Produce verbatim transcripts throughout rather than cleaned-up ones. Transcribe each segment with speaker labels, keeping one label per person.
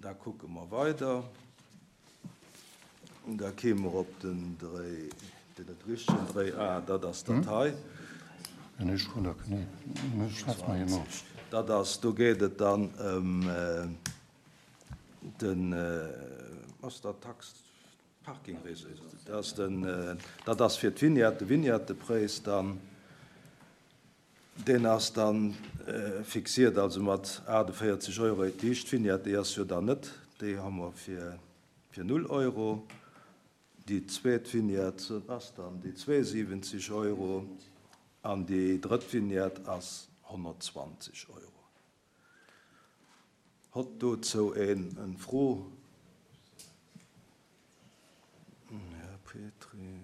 Speaker 1: Da kucke mer weider. Da kéime mer op den Dréi, den richtegen Dréi, ah, dat ass dat hei. Dat ass, do geet et dann ëm den, ass dat Tax, Parking, dat ass den, dat ass fir d'Vignette, de Vignettepräis dann. Deen ass dann fixiert, also mat aachtenvéierzeg Euro. Déi éischt Vignette, déi ass jo dann net, déi hu mer fir, fir null Euro. Déi zweet Vignette ass dann déi zweeundsiwwenzeg Euro an déi drëtt Vignette ass honnertzwanzeg Euro. Hott dozou een eng Fro? Här Petry.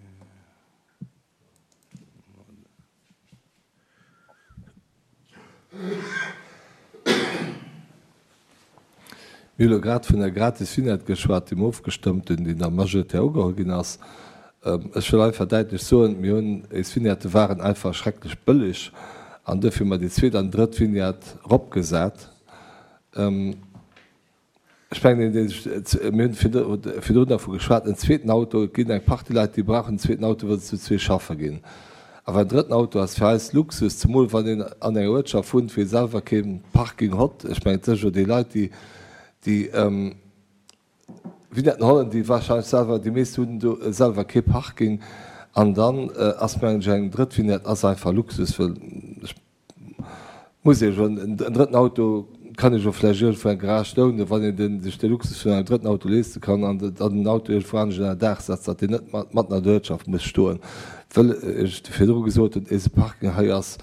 Speaker 2: Mir hu lo grad vun der gratis Vignette geschwat, déi mer ofgestëmmt hunn, déi da majoritär ugeholl ginn ass. Ech wëll einfach däitlech soen, mir hunn, éis Vignettë waren einfach schrecklech bëlleg an duerfir hu mer déi zweet an drëtt Vignette eropgesat. Ech mengen, deen, deen sech, mir hunn virdrun dervu geschwat, en zweeten Auto, et ginn eng Partie Leit, déi brauchen en zweeten Auto, well se zu zwee schaffe ginn. Awer en drëtten Auto ass fir eis Luxus, zemol wann een an enger Uertschaft wunnt, wou ee selwer kee Parking hott. Ech mengen, et si jo déi Leit, déi déi Vignetten hollen, déi wahrscheinlech selwer, déi meescht hunn do selwer kee Parking. An dann ass, mengen ech, eng drëtt Vignette ass einfach Luxus, well ech muss Iech soen, en drëtten Auto kann ee jo vläicht iergendwou eng Garage lounen, wann een den, sech de Luxus vun engem drëtten Auto leeste kann an dann den Auto iergendwou anescht ënner Daach setzt, datt deen net matten an der Uertschaft muss stoen, wëll ech virdru gesot hunn, eise Parking hei ass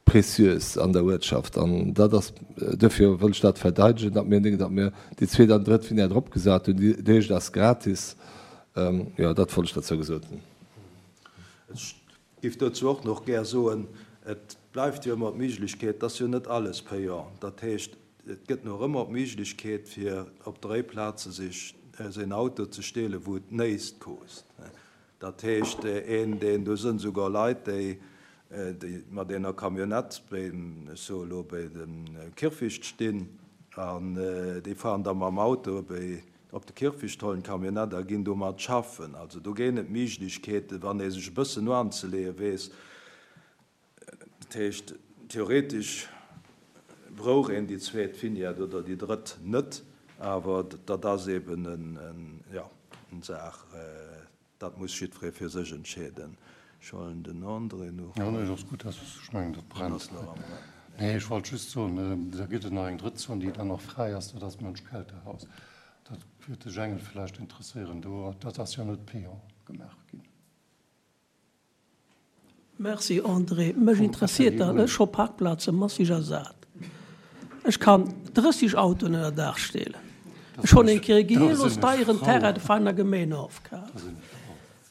Speaker 2: précieux an der Uertschaft. An dat ass, duerfir wëll ech dat verdeidegen, datt mir, datt mir déi zweet an drëtt Vignette eropgesat hunn. Déi éischt ass gratis. Jo, dat wollt ech dozou gesot hunn.
Speaker 1: Ech géif dozou och nach gär soen, et bleift jo ëmmer d'Méiglechkeet, et ass jo net alles payant, dat heescht, et gëtt nach ëmmer d'Méiglechkeet, fir op Dréiplaze sech säin Auto ze stehlen, wou et näischt kost. Dat heescht, een, deen, do sënn souguer Leit, déi, déi mat enger Camionnette beim, ech soe elo, bei dem Kierfecht stinn an déi fahren da mam Auto bei, op de Kierfecht, hollen d'Camionnette a ginn domat schaffen. Also do géing et Méiglechkeeten, wann ee sech e bëssen no anzeleeë weess. Dat heescht, theoretesch brauch een déi zweet Vignette oder déi drëtt net, awer dat ass eben en, jo, eng Saach, dat muss jiddweree fir sech entscheeden. Ech huelen den André nach.
Speaker 3: Jo, nee, dat ass gutt, ech mengen, dat brennt. Nee, ech wollt just soen, da gëtt et nach eng drëtt Zon, déi dann nach fräi ass, dat ass d'Mönch-Kelter-Haus. Dat würde de Jengel vläicht interesséieren. Do, dat ass jo net payant gemaach ginn.
Speaker 4: Merci André, mech interesséiert dat, ech hu Parkplaze massig ersat. Ech kann drësseg Autoen ënner Daach stellen. Ech hunn eng Kéier e gehirlos deieren Terrain de Veiner Gemeen ofkaf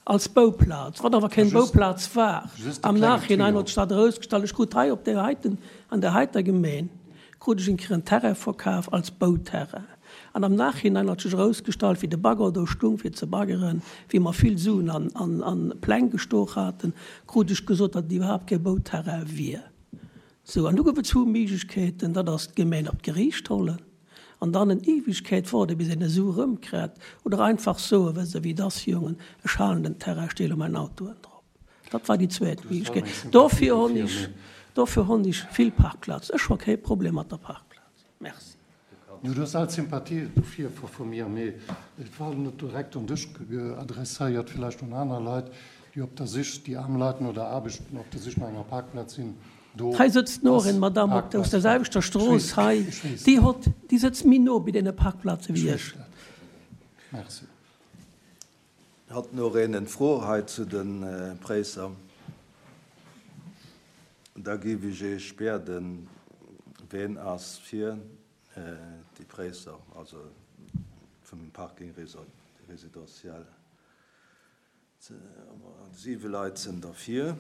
Speaker 4: als Bouplaz, wat awer keng Bouplaz war. Am Nachhinein huet sech dat erausgestallt, ech krut hei op där heiten, an där heiter Gemeen krut ech eng Kéier en Terrain verkaf als Bouterrain. An am Nachhinein hat sech erausgestallt, wéi de Bagger do stung fir ze baggeren, wéi mer vill Suen an, an, an Pläng gestoch haten, krut ech gesot, datt et iwwerhaapt kee Bouterrain wier. Sou, an du gouf et zwou Méiglechkeeten, dat ass d'Gemeen op d'Geriicht hollen an dann en Ewegkeet waarde bis een e Su erëmkritt, oder einfach soen, wësst Der wéi et ass, Jongen, ech halen den Terrain, ech deele mäin Autoen drop. Dat war déi zweet Méiglechkeet. Dofir hunn ech, dofir hunn ech vill Parkplaz. Ech hu kee Problem mat der Parkplaz. Merci.
Speaker 3: Du hues all Sympathie dofir vu mir, mee et war net direkt un dech adresséiert, villäicht un aner Leit, déi op der Sich, déi aarm Leit no der Aarbecht, op der Sich no enger Parkplaz sinn. Do
Speaker 4: Hei sëtzt nach
Speaker 3: ass
Speaker 4: eng Madame op aus
Speaker 3: Parkplaz
Speaker 4: der
Speaker 3: frei.
Speaker 4: selwechter
Speaker 3: Ech
Speaker 4: Strooss
Speaker 3: weess,
Speaker 4: hei,
Speaker 3: ech weess
Speaker 4: déi
Speaker 3: dat.
Speaker 4: hott, déi sëtzt méi no bei deene Parkplaze
Speaker 3: Ech
Speaker 4: wéi
Speaker 3: weess
Speaker 4: ech.
Speaker 3: dat. Merci.
Speaker 1: Hat nach een eng Fro hei zu de Präisser? Da géif ech Iech bieden, ween ass fir déi Präisser, also vum Parking résidentiel? Siwe Leit sinn derfir.